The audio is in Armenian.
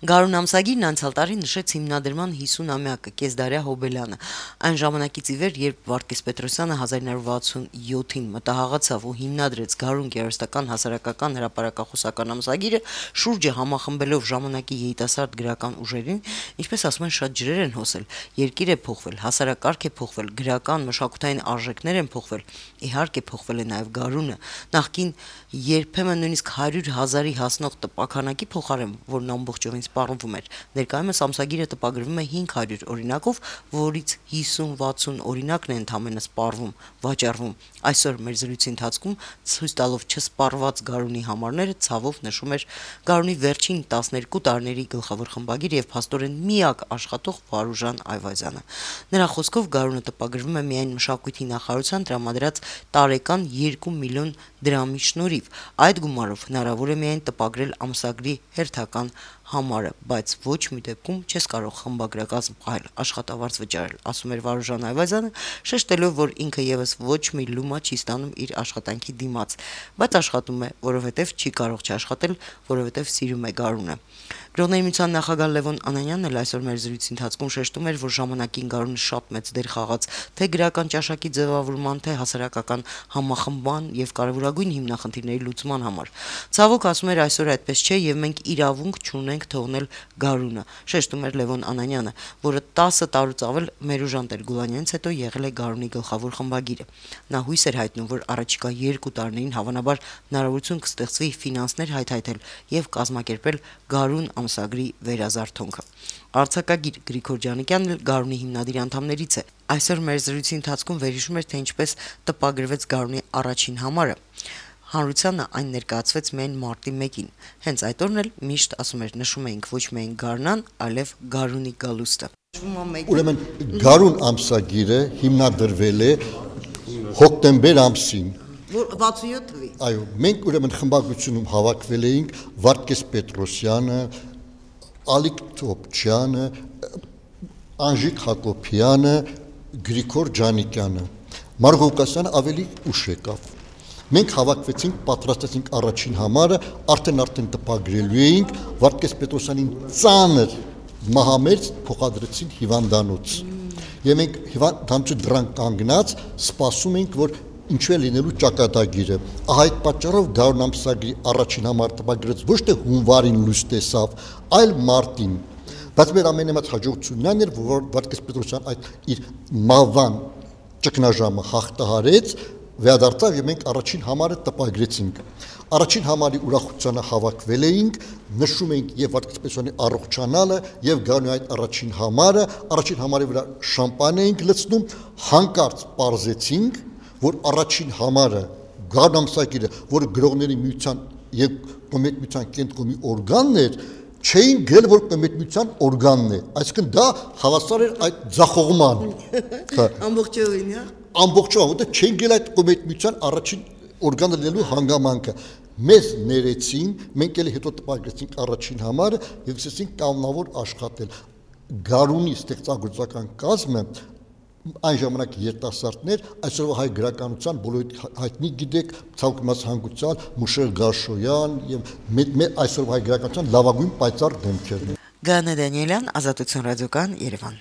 Գարուն ամսագիրն անցյալ տարի նշեց հիմնադրման 50-ամյակը Կեսդարյա Հոբելյանը։ Այն ժամանակից ի վեր, երբ Վարդգես Պետրոսյանը 1967-ին մտահաղացավ ու հիմնադրեց Գարուն գեղարվեստական հասարակական հրապարակախոսական ամսագիրը, շուրջը համախմբելով ժամանակի երիտասարդ գրական ուժերին, ինչպես ասում են, շատ ջրեր են հոսել, երկիր է փոխվել, հասարակարգ է փոխվել, գրական մշակութային արժեքներ են փոխվել, իհարկե փոխվել է նաև Գարունը, նախկին երբեմն նույնիսկ 100,000-ի հասնող տպաքանակի փոխարեն, որն ամբողջովին սպառվում էր, ներկայումս ամսագիրը տպագրվում է 500 օրինակով, որից 50-60 օրինակն է ընդամենը սպառվում, վաճառվում։ Այսօր մեր զրույցի ընթացքում ցույց տալով չսպառված Գարունի համարները ցավով նշում էր Գարունի վերջին 12 տարիների գլխավոր խմբագիր եւ փաստորեն միակ աշխատող Վարուժան Այվազյանը։ Նրա խոսքով Գարունը տպագրվում է միայն մշակույթի նախարարության տրամադրած տարեկան 2 միլիոն դրամի շնորհիվ։ Այդ գումարով հնարավոր է միայն տպագրել ամսագրի հերթական համարը, բայց ոչ մի դեպքում չես կարող խմբագրակազմ այլ աշխատավարձ վճարել, ասում էր Վարուժան Այվազյանը, շեշտելով, որ ինքը եւս ոչ մի լումա չի ստանում իր աշխատանքի դիմաց, բայց աշխատում է, որովհետեւ չի կարող չաշխատել, որովհետեւ սիրում է Գարունը։ Գրողների միության նախագահ Լևոն Անանյանն էլ այսօր մեր զրույցի ընթացքում շեշտում էր, որ ժամանակին Գարունը շատ մեծ դեր խաղաց թե գրական ճաշակի ձևավորման, թե հասարակական համախմբման եւ կարեւորագույն հիմնախնդիրների լուծման համար։ Ցավոք, ասում էր, այսօր այդպես չէ եւ մենք իրավունք չունենք թողնել Գարունը, շեշտում էր Լևոն Անանյանը, որը 10 տարուց ավել Մերուժան Տեր-Գուլանյանից հետո եղել է Գարունի գլխավոր խմբագիրը։ Նա հույս էր հայտնում, որ առաջիկա 2 տարիներին հավանաբար հնարավորություն կստեղծվի ֆինանսներ հայթայթել եւ կազմակերպել Գարուն ամսագրի վերազարթոնքը։ Արձակագիր Գրիգոր Ջանիկյանն էլ Գարունի հիմնադիրի անդամներից է։ Այսօր մեր զրույցի ընթացքում վերհիշում էր, թե ինչպես տպագրվեց Գարունի առաջին համարը։ Հանրությանը այն ներկայացվեց միայն մարտի 1-ին։ Հենց այդ օրն էլ միշտ, ասում էր, նշում էինք ոչ միայն Գարնան, այլև Գարունի գալուստը։ Ուրեմն Գարուն ամսագիրը հիմնադրվել է հոկտեմբեր ամսին 67 թվականին։ Այո, մենք ուրեմն խմբագրությունում հավաքվել էինք Վարդգես Պետրոսյանը, Ալիկ Թոփչյանը, Անժիկ Հակոբյանը, Գրիգոր Ջանիկյանը։ Մարգո Ղուկասյանը ավելի ուշ եկավ։ Մենք հավաքվեցինք, պատրաստեցինք առաջին համարը, արդեն տպագրելու էինք, Վարդգես Պետրոսյանին ծանր մահամերձ փոխադրեցին հիվանդանոց։ Եվ մենք հիվանդանոցի դրան կանգնած սպասում էինք, որ ինչու է լինելու ճակատագիրը։ Ահա այդ պատճառով Գարուն ամսագրի առաջին համարը տպագրեց ոչ թե հունվարին լույս տեսավ, այլ մարտին։ Բայց մեր ամենամեծ հաջողությունն այն էր, որ Վարդգես Պետրոսյանը այդ իր մահվան ճգնաժամը հաղթահարեց, վերադարձավ եւ մենք առաջին համարը տպագրեցինք։ Առաջին համարի ուրախությանը հավաքվել էինք, նշում էինք եւ Վարդգես Պետրոսյանի առողջանալը եւ Գարունի այդ առաջին համարի վրա շամպան էինք լցնում, հանկարծ պարզեցինք, որ առաջին համարը Գարուն ամսագիրը, որը գրողների միության եւ կոմետ միության կենտրոնի օրգանն էր, չէին գրել, որ կոմետ միության օրգանն է, այսինքն դա հավասար էր այդ ձախողման։ Ամբողջովին, հա։ Ամբողջովին, որտեղ չէին գրել այդ կոմետ միության առաջին օրգանը լինելու հանգամանքը։ Մեզ ներեցին, մենք էլ հետո տպագրեցինք առաջին համարը եւ սկսեցինք կանոնավոր աշխատել։ Գարունի ստեղծագործական կազմը այն ժամանակ երիտասարդներ, այսօրվա հայ գրականության բոլորի հայտնի գիտեք, ցավոք հանգուցյալ Մուշել Գաշոյան եւ այսօրվա հայ գրականության լավագույն պայծառ դեմքերն են։ Գանե Դանիելյան, Ազատություն ռադիոկան, Երևան։